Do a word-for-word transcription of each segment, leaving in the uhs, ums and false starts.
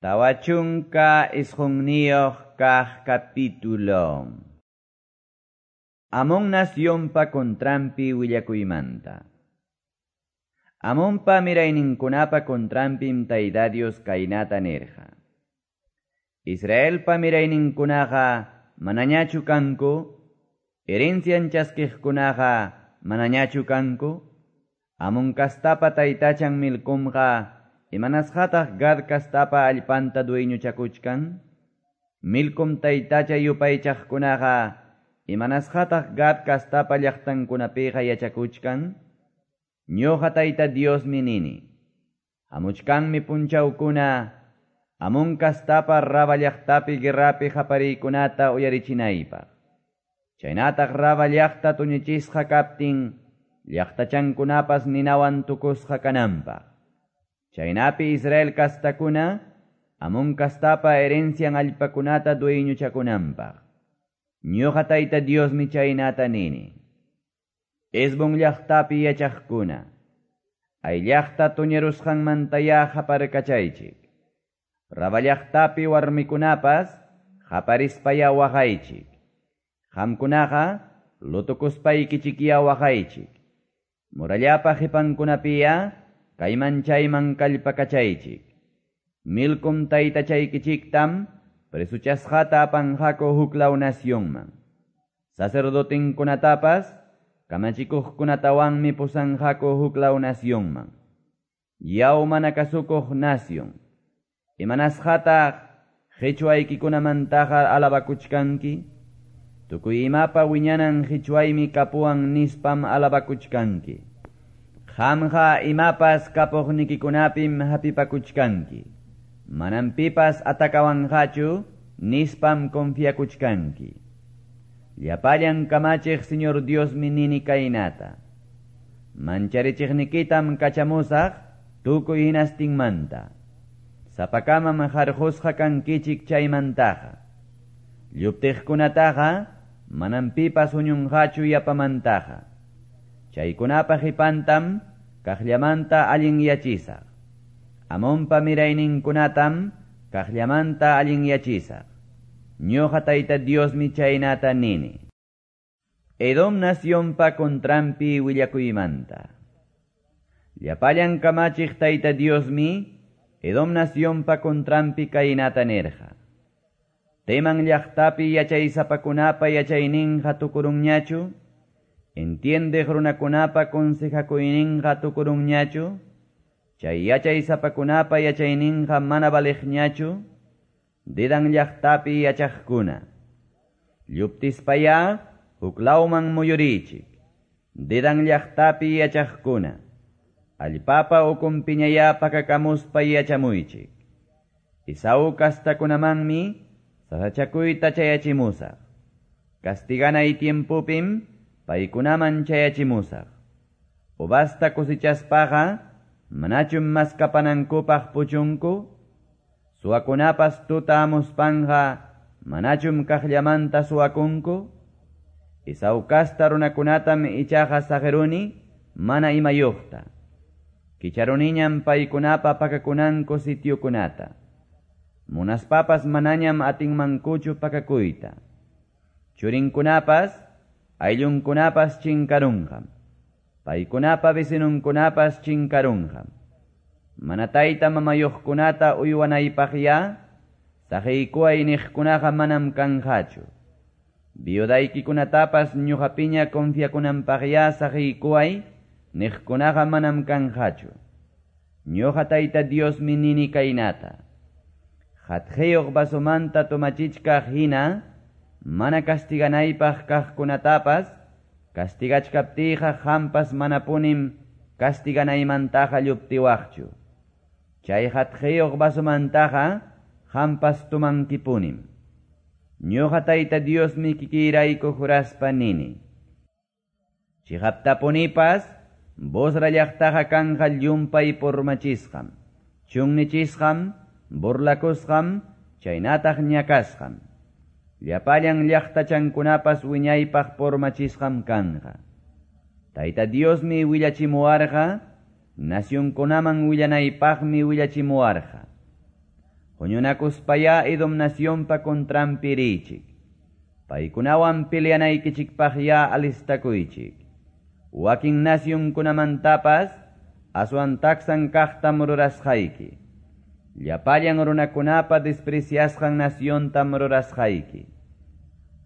Tawa chunka isqunniyuq kaq capítulo. Amón nacionpa contranpi willakuymanta. Amonpa mirayninkunapa contranpim Tayta Dios kaynata nirqa. Israelpa mirayninkunaqa manañachu kanku, herencian chaskiqkunaqa manañachu kanku, Amón kastapa taytachan Milcomqa imanasqataq Gad kastapa allpanta dueñochakuchkan, Milcom taytacha yupaychaqkunaqa imanasqataq Gad kastapa llaqtankunapiqa yachakuchkan, ñuqa Tayta Diosmi nini. Hamuchkanmi punchawkuna, Amón kastapa Raba llaqtapi guerrapi qapariykunata uyarichinaypaq. Chaynataq Raba llaqta tuñichisqa kaptin, llaqtachankunapas ninawan tukusqa kananpaq. Chaynapi Israel kastakuna, Amón kastapa herencian allpakunata dueñochakunanpaq. Ñuqa Tayta Diosmi chaynata nini. Hesbón llaqtapi yachaqkuna, ay llaqta tuñirusqanmantaya qaparkachaychik. Raba llaqtapi warmikunapas qaparispaya waqaychik. Qamkunaqa lutukuspaykichikya waqaychik. Murallapa qipankunapiya kayman chayman kallpakachaychik. Milcom taytachaykichiktam presuchasqata apanqaku huklaw nacionman. Sacerdotinkunatapas kamachikuqkunatawanmi pusanqaku huklaw nacionman. Yaw mana kasukuq nación, imanasqataq qichwaykikunamantaqa alabakuchkanki, tukuy imapa wiñanan qichwaymi kapuwan nispam alabakuchkanki. Qamqa imapas kapuqnikikunapim hapipakuchkanki. Manam pipas atakawanqachu nispam confiakuchkanki. Llapallan kamachiq Señor Diosmi nini kaynata. Mancharichiqnikitam kachamusaq tukuy hinastinmanta. Sapakamam harqusqa kankichik chaymantaqa. Lluptiqkunataqa manam pipas huñunqachu yapamantaqa. Chaykunapa qipantam kaqllamanta allinyachisaq. Amonpa mirayninkunatam kaqllamanta allinyachisaq. Ñuqa Tayta Diosmi chaynata nini. Edom nacionpa contranpi willakuymanta. Llapallan kamachiq Tayta Diosmi Edom nacionpa contranpi kaynata nirqa. Teman llaqtapi yachaysapakunapa yachayninqa tukurunñachu, entiendeq runakunapa consejakuyninqa tukurunñachu, chay yachaysapakunapa yachayninqa mana valiqñachu, Dedan llaqtapi yachaqkuna. Lluptispaya huklawman muyurichik. Dedan llaqtapi yachaqkuna. Allpapa ukunpiñaya pakakamuspa yachamuychik. Esaú kastakunamanmi sasachakuyta chayachimusaq. Castiganay tiempupim paykunaman chayachimusaq. Uvasta cosechaspaqa manachum maskapanankupaq puchunku? Suwakunapas tuta amuspanja manachum kaqllamanta suwakunku? Esaú kasta runakunatam ichaqa saqiruni mana imayuqta. Kicharuniñam paykunapa pakakunanku sitiokunata. Munaspapas manañam atinmankuchu pakakuyta. Churinkunapas, ayllunkunapas chinkarunqam. Paykunapa vecinunkunapas chinkarunqam. Mana tayta mamayuqkunata uywanaypaqya, saqiykuway niqkunaqa manam kanqachu. Viudaykikunatapas ñuqapiña confiakunanpaqya saqiykuway niqkunaqa manam kanqachu. Ñuqa Tayta Diosmi nini kaynata. Hatqiyuq vasomanta tomachichkaq hina, mana castiganaypaq kaqkunatapas, castigachkaptiyqa qampas manapunim castiganaymantaqa lluptiwaqchu. Chay hatqiyuq vasomantaqa qampas tumankipunim. Ñuqa Tayta Diosmi kikiyrayku juraspa nini. Chiqaptapunipas Bosra llaqtaqa kanqa llumpay purmachisqam, chunnichisqam, burlakusqam, chaynataq ñakasqam. Llapallan llaqtachankunapas wiñaypaq purmachisqam kanqa. Tayta Diosmi willachimuwarqa, nacionkunaman willanaypaqmi willachimuwarqa. Huñunakuspayá Edom nacionpa contranpi riychik. Paykunawan peleanaykichikpaqyá alistakuychik. Wakin nacionkunamantapas aswan taksan kaqtam rurasqayki. Llapallan runakunapa despreciasqan naciontam rurasqayki.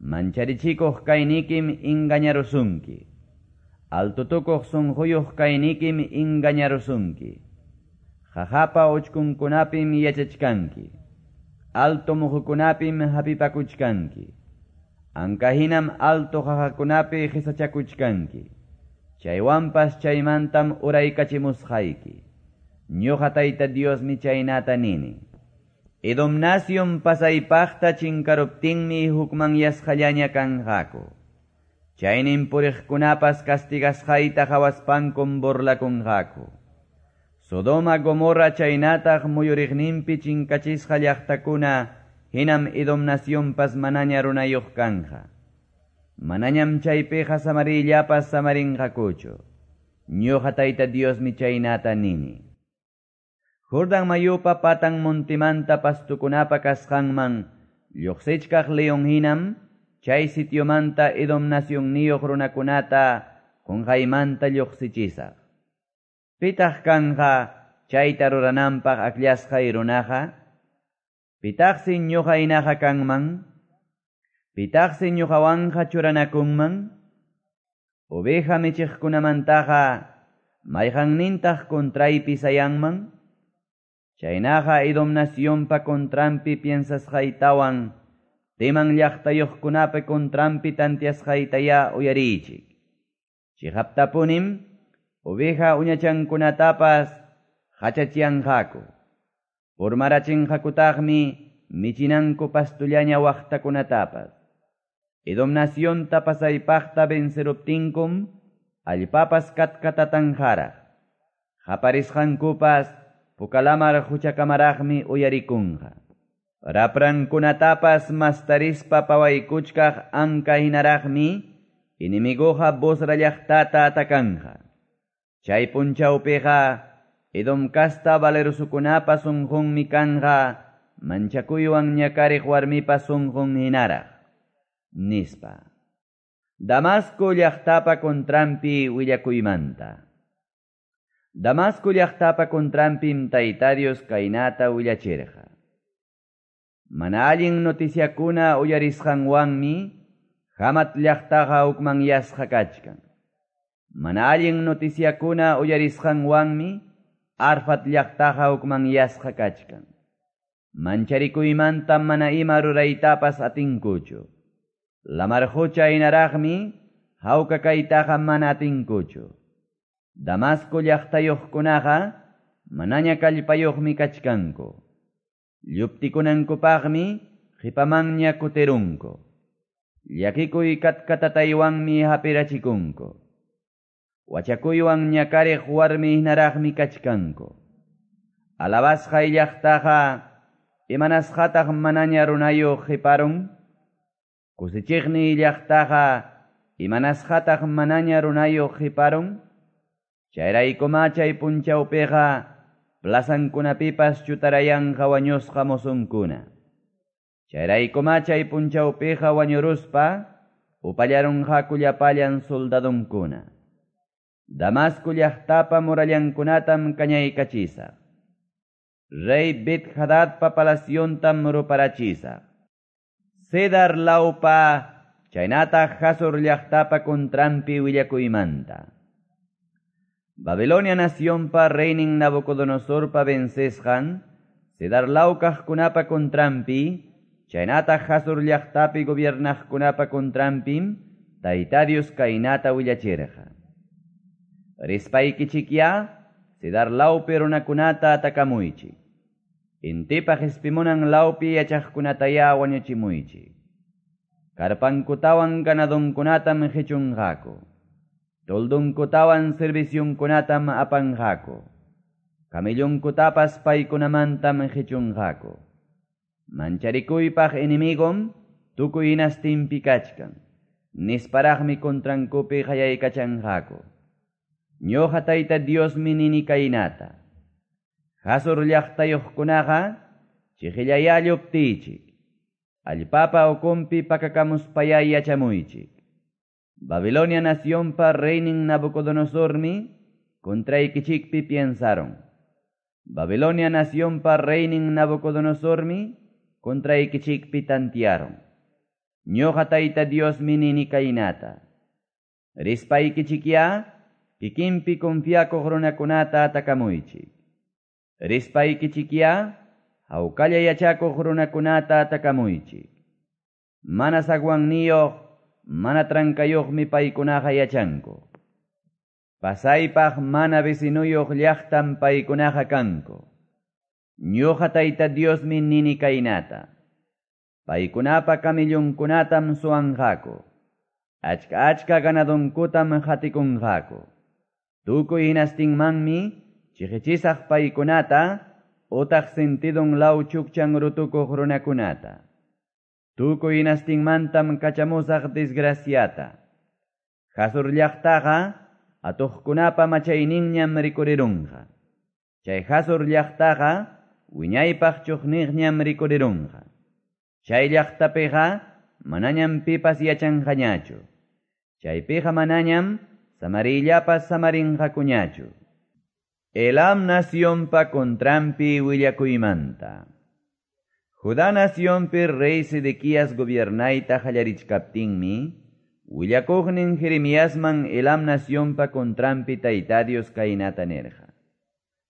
Mancharichikuq kaynikim engañarusunki. Altotukuq sunquyuq kaynikim engañarusunki. Qaqapa uchkunkunapim yachachkanki. Alto muhukunapim hapipakuchkanki. Ankahinam alto qaqakunapi qisachakuchkanki. Chaywanpas chaymantam uraykachimusqayki. Ñuqa Tayta Diosmi chaynata nini. Edom nación pasaypaqta chinkaruptinmi hukmanyasqallaña kanqaku. Chaynin puriqkunapas castigasqayta qhawaspankum burlakunqaku. Sodoma Gomorra chaynataq muyuriqninpi chinkachisqa llaqtakuna hinam Edom nacionpas manaña runayuq kanja. Manañam chaypiqa samarillapas samarinqakuchu. Ñuqa Tayta Diosmi chaynata nini. Jordan mayupa patan montimanta pastukunapa kasqanman lluqsichkaq leon hinam chay sitiomanta Edom nacionniyuq runakunata qunqaymanta lluqsichisaq. Pitaq kanja chayta rurananpaq akllashqay runaqa? Pitaqsi ñuqa hinaqa kanman? Pitaqsi ñuqawanqa churanakunman? Oveja michiqkunamantaqa mayqannintaq contraypi sayanman? Chaynaqa Edom nacionpa contranpi piensasqaytawan Teman llaqtayuqkunapa contranpi tantiasqaytayá uyariychik. Chiqaptapunim oveja uñachankunatapas hachachianqaku. Purmarachinqakutaqmi michinanku pastullaña waqtakunatapas. Edom nacionta pasaypaqta venceruptinkum allpapas katkatatanqaraq. Qaparisqankupas pukalamar huchakamaraqmi uyarikunqa. Raprankunatapas mastarispa pawaykuchkaq anka hinaraqmi enemiguqa Bosra llaqtata atakanja. Chay punchawpiqa Edom kasta valerosukunapa sunqunmi kanja manchakuywan ñakariq warmipa sunqun hinaraq, nispa. Damasco llaqtapa contranpi willakuymanta. Damasco llaqtapa contranpim Tayta Dios kaynata willachirqa. Mana allin noticiakuna uyarisqanwanmi Hamat llaqtaqa hukmanyasqa kachkan. Mana allin noticiakuna uyarisqanwanmi Arfat llaqtaqa hukmanyasqa kachkan. Mancharikuymanta mana ima ruraytapas atinkuchu. Lamar qucha hinaraqmi hawka kaytaqa mana atinkuchu. Damasco llaqtayuqkunaqa manaña kallpayuqmi kachkanku. Lluptikunankupaqmi qipamanña kutirunku. Llakikuy katkatataywanmi hapirachikunku. Wachakuywan ñakariq warmi hinaraqmi kachkanku. Alabasqay llaqtaqa imanasqataq manaña runayuq qiparun? Kusichiqniy llaqtaqa imanasqataq manaña runayuq qiparun? Chayraykuma chay punchawpiqa plazankunapipas chutarayanqa wañusqa mozonkuna. Chayraykuma chay punchawpiqa wañuruspa upallarunqaku llapallan soldadonkuna. Damasco llaqtapa murallankunatam kañaykachisaq. Rey Bet Hadadpa palaciontam ruparachisaq. Cedar lawpa chaynataq Hazor llaqtapa contranpi willakuymanta. Babilonia nacionpa reynin Nabucodonosorpa vencesqan, Cedar lawkaqkunapa contranpi, chaynataq Hazor llaqtapi gobiernaqkunapa contranpim, Tayta Dios kaynata willachirqa. Rispaykichikyá, Cedar lawpi runakunata atakamuychik. Intipa qispimunan lawpi yachaqkunatayá wañuchimuychik. Karpankutawan ganadonkunatam qichunqaku. Toldunkutawan servicionkunatam apanqaku. CamellonKutapas paykunamantam qichunqaku. Mancharikuypaq enemigom tukuy hinastinpi kachkan. Nisparaqmi contrankupi qayaykachanqaku. Ñuqa Tayta Diosmi nini kaynata. Hazor llaqtayuqkunaqa Chiqillayá lluptiychik. Allpapa ukunpi pakakamuspayá yachamuychik. Babilonia nacionpa reynin Nabucodonosormi contraykichikpi piensaron. Babilonia nacionpa reynin Nabucodonosormi contraykichikpi tantiaron. Ñuqa Tayta Diosmi nini kaynata. Rispaykichikyá kikinpi confiakuq runakunata atakamuychik. Rispaykichikyá hawkalla yachakuq runakunata atakamuychik. Mana zaguanniyuq, mana trankayuqmi paykunaqa yachanku. Pasaypaq mana vecinuyuq llaqtam paykunaqa kanku. Ñuqa Tayta Diosmi nini kaynata. Paykunapa camellonkunatam suwanqaku. Achka achka ganadonkutam hatikunqaku. Tukuy hinastinmanmi chiqichisaq paykunata utaq sentidun law chukchan rutukuq runakunata. Tukuy hinastinmantam kachamusaq desgraciata. Hazor llaqtaqa atuqkunapa machayninñam rikurirunqa. Chay Hazor llaqtaqa wiñaypaq chuqniqñam rikurirunqa. Chay llaqtapiqa manañam pipas yachanqañachu. Chaypiqa manañam samarillapas samarinqakuñachu. Elam nacionpa contranpi willakuymanta. Judá nacionpi rey Sedequías gobiernayta qallarichkaptinmi, willakuqnin Jeremiasman Elam nacionpa contranpi Tayta Dios kaynata nirqa.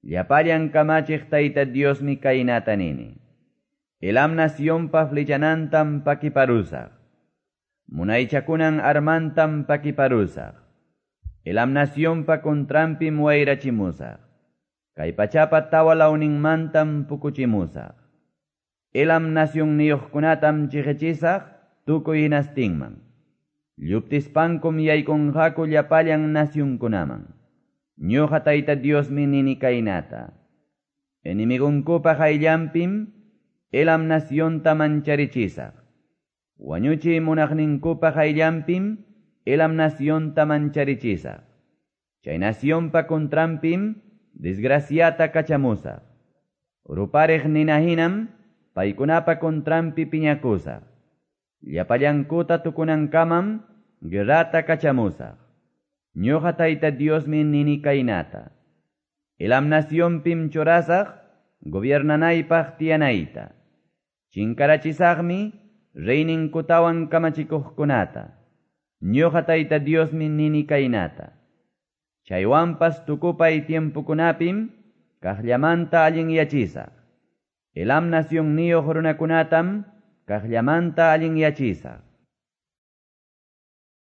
Llapallan kamachiq Tayta Diosmi kaynata nini. Elam nacionpa flechanantam pakiparusaq. Munaychakunan armantam pakiparusaq. Elam nacionpa contranpim wayrachimusaq. Kay pachapa tawa lawninmantam pukuchimusaq. Elam nacionniyuqkunatam chiqichisaq tukuy hinastinman. Lluptispankum yaykunqaku llapallan nacionkunaman. Ñuqa Tayta Diosmi nini kaynata. Enemigunkupa qayllanpim Elam nacionta mancharichisaq. Wañuchiy munaqninkupa qayllanpim Elam nacionta mancharichisaq. Chay nacionpa contranpim desgraciata kachamusaq. Rupariq nina hinam paykunapa contranpi piñakusaq. Llapallankuta tukunankamam guerrata kachamusaq. Ñuqa Tayta Diosmi nini kaynata. Elam nacionpim churasaq gobiernanaypaq tiyanayta. Chinkarachisaqmi reyninkutawan kamachikuqkunata. Ñuqa Tayta Diosmi nini kaynata. Chaywanpas tukupay tiempokunapim kaqllamanta allinyachisaq. Elam nacionniyuq runakunatam kaqllamanta allinyachisaq.